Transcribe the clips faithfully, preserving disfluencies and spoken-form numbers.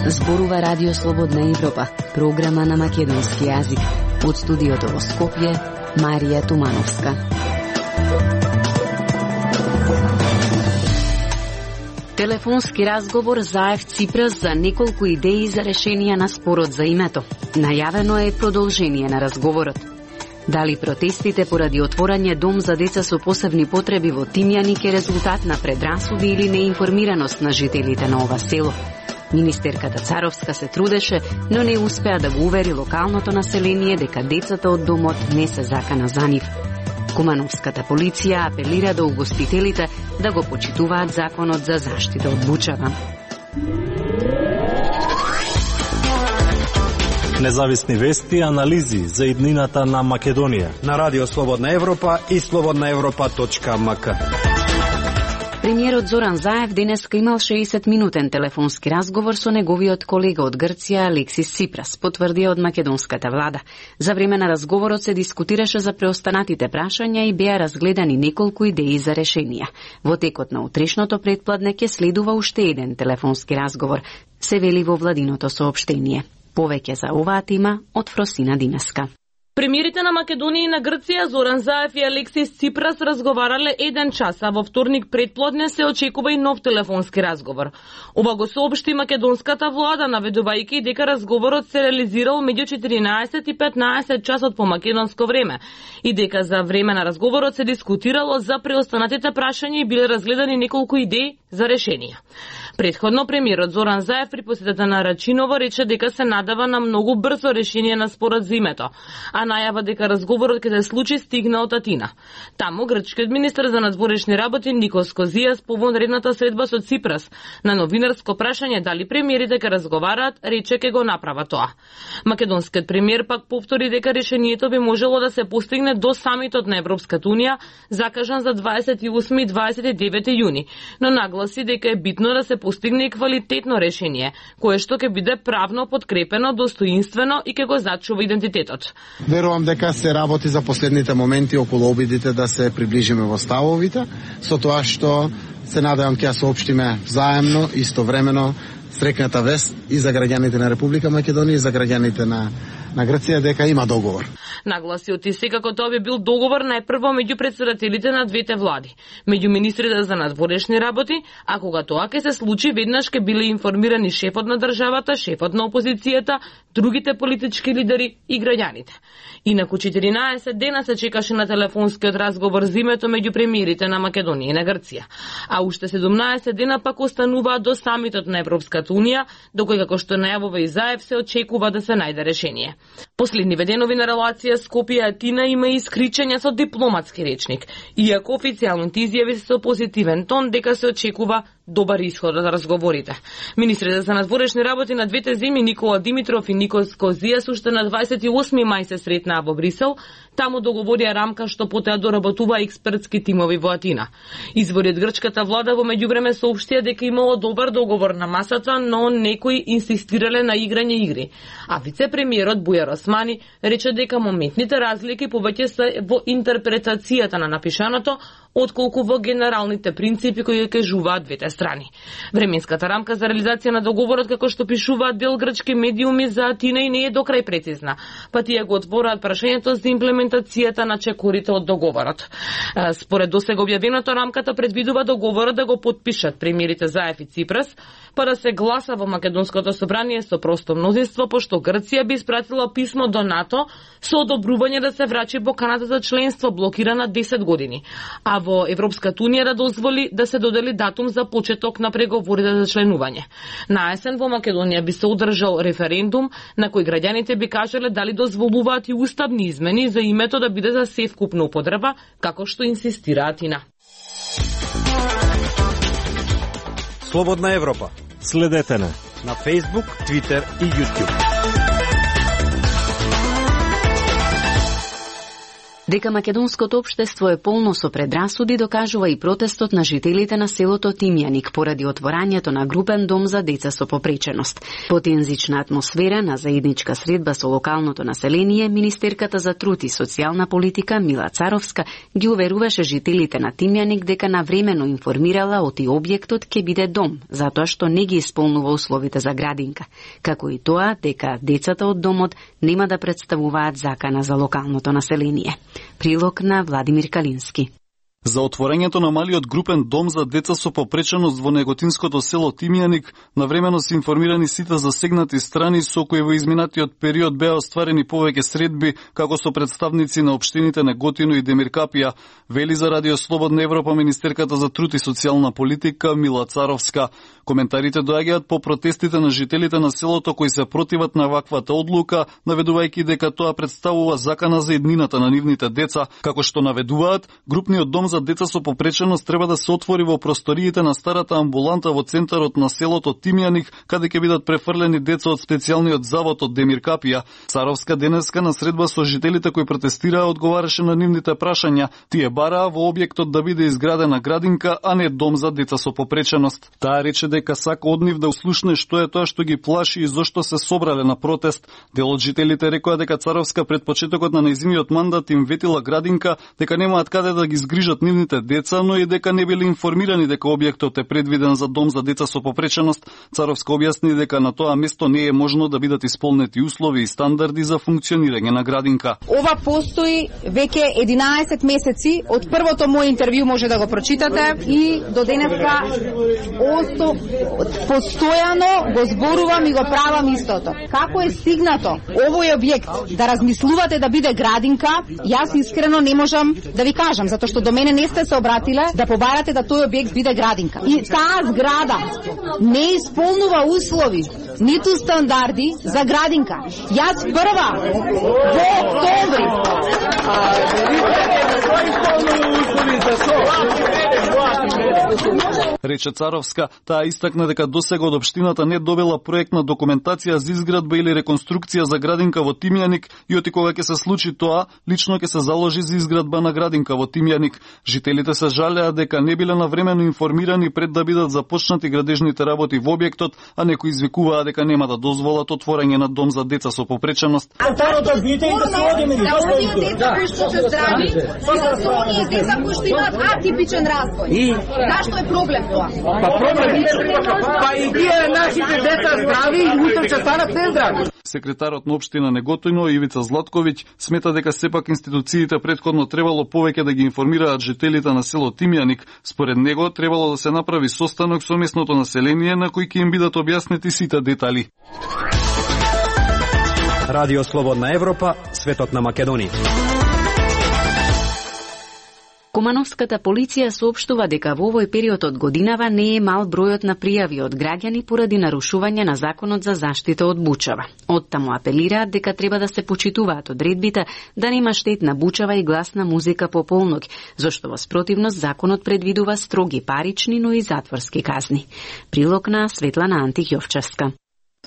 Зборува Радио Слободна Европа, програма на македонски јазик. Од студиото во Скопје, Марија Тумановска. Телефонски разговор Заев Ципрас за неколку идеи за решенија на спорот за името. Најавено е продолжение на разговорот. Дали протестите поради отворање дом за деца со посебни потреби во Тимјаник е резултат на предрасуди или неинформираност на жителите на ова село? Министерката Царовска се трудеше, но не успеа да го увери локалното население дека децата од домот не се закана за нив. Кумановската полиција апелира до угостителите да го почитуваат законот за заштита од бучава. Независни вести и анализи за иднината на Македонија на Радио Слободна Европа и слободна европа точка ем ка. Премиерот Зоран Заев денеска имал шеесет минутен телефонски разговор со неговиот колега од Грција Алексис Ципрас, потврдија од македонската влада. За време на разговорот се дискутираше за преостанатите прашања и беа разгледани неколку идеи за решенија. Во текот на утрешното претпладне ќе следува уште еден телефонски разговор, се вели во владиното соопштение. Повеќе за оваа тема од Фросина Динеска. Премиерите на Македонија и на Грција Зоран Заев и Алексис Ципрас разговарале еден час, а во вторник претплодне се очекува и нов телефонски разговор. Ова го соопшти македонската влада, наведувајќи дека разговорот се реализирал меѓу четиринаесет и петнаесет часот по македонско време и дека за време на разговорот се дискутирало за преостанатите прашања и биле разгледани неколку идеи за решенија. Претходно премиерот Зоран Заев при посетата на Рачиново рече дека се надава на многу брзо решение на спорот за името, а најава дека разговорот ќе се случи стигна од Атина. Таму грчкиот министер за надворешни работи Никос Козијас по вонредната средба со Ципрас на новинарско прашање дали премиерите ќе разговараат, рече ќе го направа тоа. Македонскиот премиер пак повтори дека решението би можело да се постигне до самитот на Европската унија, закажан за дваесет и осми и дваесет и девети јуни, но нагласи дека е битно да се постигне и квалитетно решение, кое што ќе биде правно подкрепено, достоинствено и ќе го зачува идентитетот. Верувам дека се работи за последните моменти околу обидите да се приближиме во ставовите, со тоа што се надевам ќе ја соопштиме заемно, истовремено, срекната вест и за граѓаните на Република Македонија и за граѓаните на на Грција дека има договор. Нагласи оти секако тоа би бил договор најпрво меѓу претседателите на двете влади, меѓу министрите за надворешни работи, а кога тоа ќе се случи, веднаш ќе биле информирани шефот на државата, шефот на опозицијата, другите политички лидери и граѓаните. Инаку четиринаесет дена се чекаше на телефонскиот разговор за името меѓу премиерите на Македонија и на Грција, а уште седумнаесет дена пак остануваат до самитот на Европската унија, до кој, како што најавува и Заев, се очекува да се најде решение. Последниве денови на релација Скопје-Атина има и искричања со дипломатски речник, иако официјалните изјави се со позитивен тон дека се очекува добар исход од разговорите. Министрите за надворешни работи на двете земји Никола Димитров и Никос Козијас уште на дваесет и осми мај се сретнаа во Брисел, таму договорија рамка што потоа доработува експертски тимови во Атина. Извори од грчката влада во меѓувреме соопштија дека имало добар договор на масата, но некои инсистирале на играње игри. А вице-премиерот Бујар Османи рече дека моментните разлики повеќе се во интерпретацијата на напишаното, отколку во генералните принципи кои кажуваат двете страни. Временската рамка за реализација на договорот, како што пишуваат дел грчки медиуми за Атина, и не е до крај прецизна, па тие го отвораат прашањето за имплементацијата на чекорите од договорот. Според досега објавеното, рамката предвидува договорот да го подпишат премиерите Заев и Ципрас, па да се гласа во Македонското собрание со просто мнозинство, пошто Грција би испратила писмо до НАТО со одобрување да се врачи поканата за членство, блокирана десет години, а во Европската унија да дозволи да се додели датум за почеток на преговорите за членување. На есен во Македонија би се одржал референдум на кој граѓаните би кажале дали дозволуваат и уставни измени за името да биде за севкупна употреба, како што инсистира Атина. Слободна Европа. Следете на на Facebook, Twitter и YouTube. Дека македонското општество е полно со предрасуди докажува и протестот на жителите на селото Тимјаник поради отворањето на групен дом за деца со попреченост. По тензична атмосфера на заедничка средба со локалното население, министерката за труд и социјална политика Мила Царовска ги уверуваше жителите на Тимјаник дека навремено информирала оти објектот ќе биде дом, затоа што не ги исполнува условите за градинка, како и тоа дека децата од домот нема да представуваат закана за локалното население. Прилог на Владимир Калински. За отворањето на малиот групен дом за деца со попреченост во неготинското село Тимјаник, навремено се информирани сите засегнати страни со кои во изминатиот период беа остварени повеќе средби, како со представници на општините Неготино и Демиркапија, вели за Радио Слободна Европа министерката за труд и социјална политика Мила Царовска. Коментарите доаѓаат по протестите на жителите на селото кои се противат на ваквата одлука, наведувајќи дека тоа представува закана за еднината на нивните деца, како што наведуваат, групниот дом за деца со попреченост треба да се отвори во просториите на старата амбуланта во центарот на селото Тимјаник, каде ќе бидат префрлени деца од специјалниот завод од Демиркапија. Царовска денеска на средба со жителите кои протестираа одговараше на нивните прашања. Тие бараа во објектот да биде изградена градинка, а не дом за деца со попреченост. Таа рече дека сака од нив да услушне што е тоа што ги плаши и зошто се собрале на протест. Дел од жителите рекоа дека Царовска пред почетокот на нејзиниот мандат им ветила градинка, дека немаат каде да ги згрижат нивните деца, но и дека не биле информирани дека објектот е предвиден за дом за деца со попреченост. Царовска објасни дека на тоа место не е можно да бидат исполнети услови и стандарди за функционирање на градинка. Ова постои веќе единаесет месеци, од првото моје интервју може да го прочитате и до денеска осто постојано го зборувам и го правам истото. Како е стигнато овој објект да размислувате да биде градинка, јас искрено не можам да ви кажам, затоа што до мене не сте се обратиле да побарате да тој објект биде градинка. И таа зграда не исполнува услови, ниту стандарди за градинка. Јас прва во октомври рече Царовска. Таа истакна дека досега од општината не добила проектна документација за изградба или реконструкција за градинка во Тимјаник и оти кога ќе се случи тоа, лично ќе се заложи за изградба на градинка во Тимјаник. Жителите се жалеа дека не биле навремено информирани пред да бидат започнати градежните работи во објектот, а некои извикуваа дека нема да дозволат отворање на дом за деца со попреченост. Старото бите и да се одиме да оние деца кои што се здрави, и за оние деца кои што имаат атипичен развој. И зашто е проблем тоа? Па проблем па и тие нашите деца здрави и утре ќе станат нездрави. Секретарот на општина Неготино Ивица Златковиќ смета дека сепак институциите претходно требало повеќе да ги информираат жителите на село Тимјаник. Според него требало да се направи состанок со местното население на кој ќе им бидат објаснети сите детали. Радио Слободна Европа, светот на Македонија. Кумановската полиција соопштува дека во овој период од годинава не е мал бројот на пријави од граѓани поради нарушување на законот за заштита од бучава. Оттаму апелираат дека треба да се почитуваат одредбите да нема штетна бучава и гласна музика по полноќ, зашто во спротивност законот предвидува строги парични, но и затворски казни. Прилог на Светлана Антихјовчевска.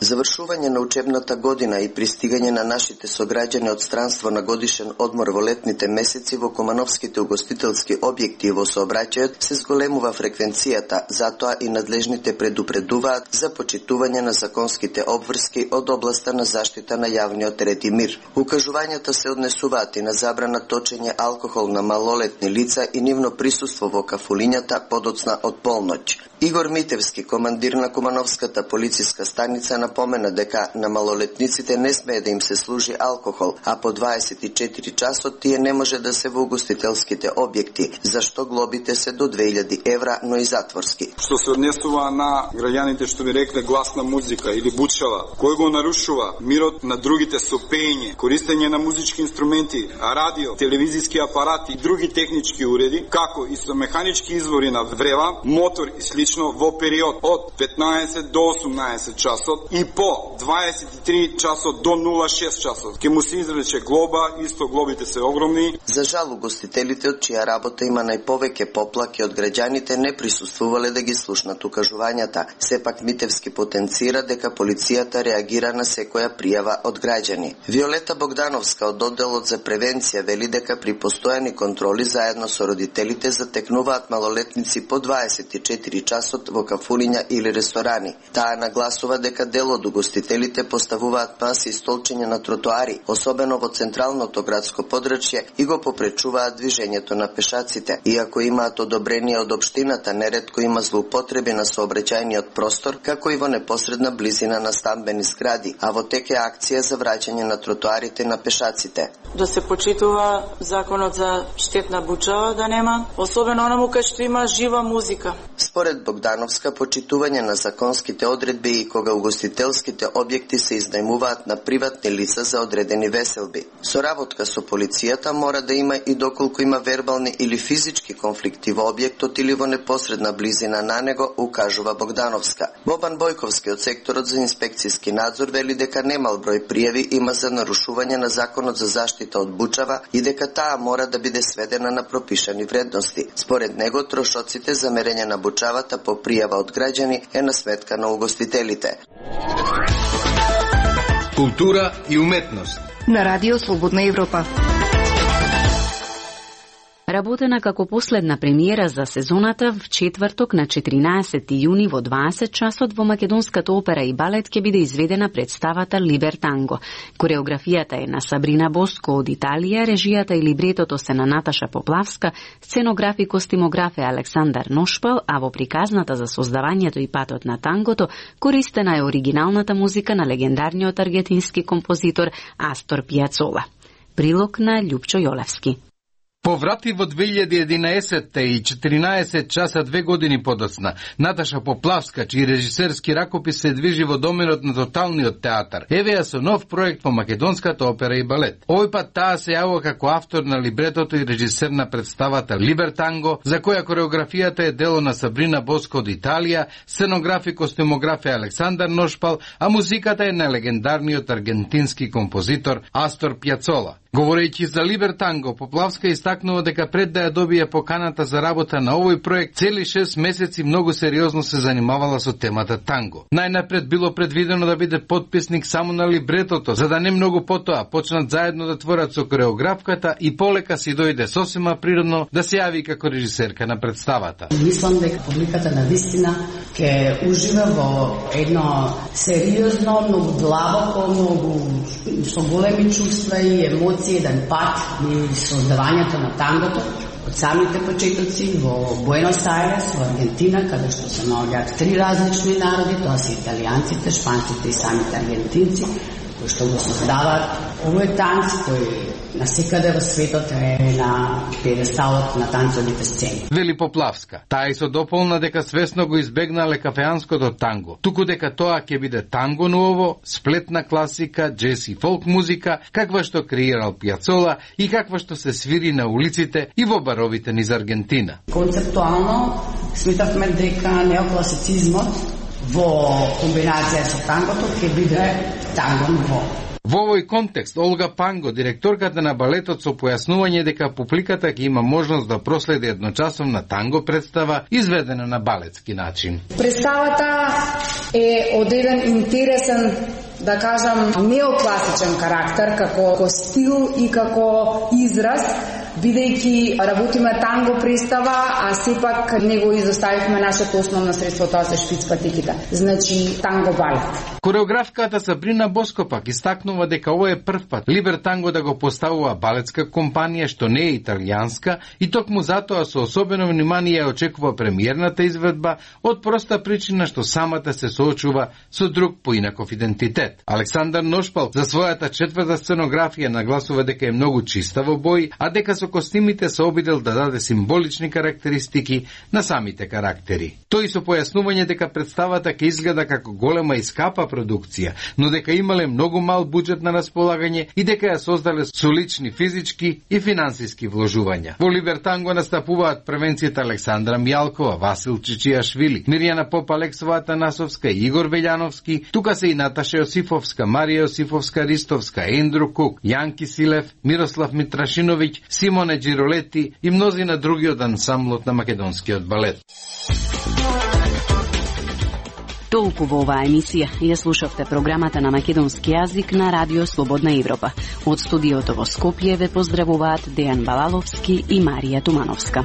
Завршување на учебната година и пристигање на нашите сограѓани од странство на годишен одмор во летните месеци во кумановските угостителски објекти во сообраќајот се зголемува фреквенцијата, затоа и надлежните предупредуваат за почитување на законските обврски од областа на заштита на јавниот ред и мир. Укажувањата се однесуваат и на забрана точење алкохол на малолетни лица и нивно присуство во кафулињата подоцна од полноќ. Игор Митевски, командир на Кумановската полициска станица, напомена дека на малолетниците не смее да им се служи алкохол, а по дваесет и четири часот тие не може да се во угостителските објекти, зашто глобите се до две илјади евра, но и затворски. Што се однесува на граѓаните што ви рекле гласна музика или бучава, кој го нарушува мирот на другите со пеење, користење на музички инструменти, радио, телевизиски апарати и други технички уреди, како и со механички извори на врева, мотор и слично во период од петнаесет до осумнаесет часот и по дваесет и три часот до нула шест часот. Ке му се изрече глоба, исто глобите се огромни. За жал, угостителите од чија работа има најповеќе поплаки од граѓаните не присуствувале да ги слушнат укажувањата. Сепак Митевски потенцира дека полицијата реагира на секоја пријава од граѓани. Виолета Богдановска од одделот за превенција вели дека при постојани контроли заедно со родителите затекнуваат малолетници по дваесет и четири часот во кафуниња или ресторани. Таа нагласува дека дел од угостителите поставуваат маси и столчиња на тротоари, особено во централното градско подрачје, и го попречуваат движењето на пешаците. Иако имаат одобрение од општината, неретко има злоупотреби на сообраќајниот простор, како и во непосредна близина на стамбени згради, а во тек е акција за враќање на тротоарите на пешаците. Да се почитува законот за штетна бучава да нема, особено онаму кај што има жива музика. Според Богдановска, почитување на законските одредби и кога угостителските објекти се изнајмуваат на приватни лица за одредени веселби. Соработка со полицијата мора да има и доколку има вербални или физички конфликти во објектот или во непосредна близина на него, укажува Богдановска. Бобан Бојковски од секторот за инспекцијски надзор вели дека немал број пријави има за нарушување на законот за заштита од бучава и дека таа мора да биде сведена на пропишани вредности. Според него, трошоците за мерење на бучавата по пријава од граѓани е на сметка на угостителите. Култура и уметност на Радио Слободна Европа. Работена како последна премиера за сезоната в четврток на четиринаесети јуни во дваесет часот во Македонската опера и балет ќе биде изведена представата Либертанго. Кореографијата е на Сабрина Боско од Италија, режијата и либретото се на Наташа Поплавска, сценограф и костимограф е Александар Ношпал, а во приказната за создавањето и патот на тангото користена е оригиналната музика на легендарниот аргентински композитор Астор Пијацола. Прилог на Љупчо Јолевски. Поврати во две илјади и единаесетта и четиринаесет часа две години подоцна, Наташа Поплавска, чиј режисерски ракопис се движи во доменот на тоталниот театар, еве ја со нов проект во Македонската опера и балет. Овој пат таа се јавува како автор на либретото и режисер на представата Либертанго, за која кореографијата е дело на Сабрина Боско од Италија, сценограф и костимограф е Александар Ношпал, а музиката е на легендарниот аргентински композитор Астор Пијацола. Говорејќи за Либертанго, Поплавска истакнува дека пред да ја добие поканата за работа на овој проект, цели шест месеци многу сериозно се занимавала со темата танго. Најнапред било предвидено да биде потписник само на либретото, за да не многу потоа почнат заедно да творат со кореографката и полека си дојде сосема природно да се јави како режисерка на представата. Мислам дека публиката на вистина ќе ужива во едно сериозно, многу длабоко, многу со големи чувства и емоции еден пат и создавањето на тангото од самите почетоци во Буенос Ајрес, во Аргентина, каде што се наоѓаат три различни народи, тоа се италијанците, шпанците и самите аргентинци, кои што го создаваат овој танц кој насекаде во светот е на пиедесталот на танцовите сцени. Вели Поплавска. Таа и со дополна дека свесно го избегнале кафеанското танго, туку дека тоа ќе биде танго ново, сплетна класика, джез и фолк музика, каква што креирал Пијацола и каква што се свири на улиците и во баровите низ Аргентина. Концептуално сметавме дека неокласицизмот во комбинација со тангото ќе биде танго ново. Во овој контекст, Олга Панго, директорката на балетот, со појаснување дека публиката ќе има можност да проследи едночасовна танго представа, изведена на балетски начин. Представата е од еден интересен, да кажам, неокласичен карактер, како стил и како израз, бидејќи работиме танго представа, а сепак не го изоставивме нашето основно средство, тоа се шпиц патиките. Значи, танго балет. Кореографката Сабрина Боско пак истакнува дека ова е прв пат Либертанго да го поставува балетска компанија што не е италијанска и токму затоа со особено внимание ја очекува премиерната изведба од проста причина што самата се соочува со друг поинаков идентитет. Александар Ношпал за својата четврта сценографија нагласува дека е многу чиста во бој, а дека со со костимите се обидел да даде символични карактеристики на самите карактери. Тој со појаснување дека представата ќе изгледа како голема и скапа продукција, но дека имале многу мал буџет на располагање и дека ја создале со лични физички и финансиски вложувања. Во Либертанго настапуваат првенците Александра Мјалкова, Васил Чичијашвили, Мирјана Попалексова Атанасовска и Игор Велјановски, тука се и Наташа Јосифовска, Марија Јосифовска Ристовска, Ендру Кук, Јанки Силев, Мирослав Митрашиновиќ, Симоне Джиролети и мнозина други од ансамблот на македонскиот балет. Толку во оваа емисија. Ја слушавте програмата на македонски јазик на Радио Слободна Европа. Од студиото во Скопје ве поздравуваат Дејан Балаловски и Марија Тумановска.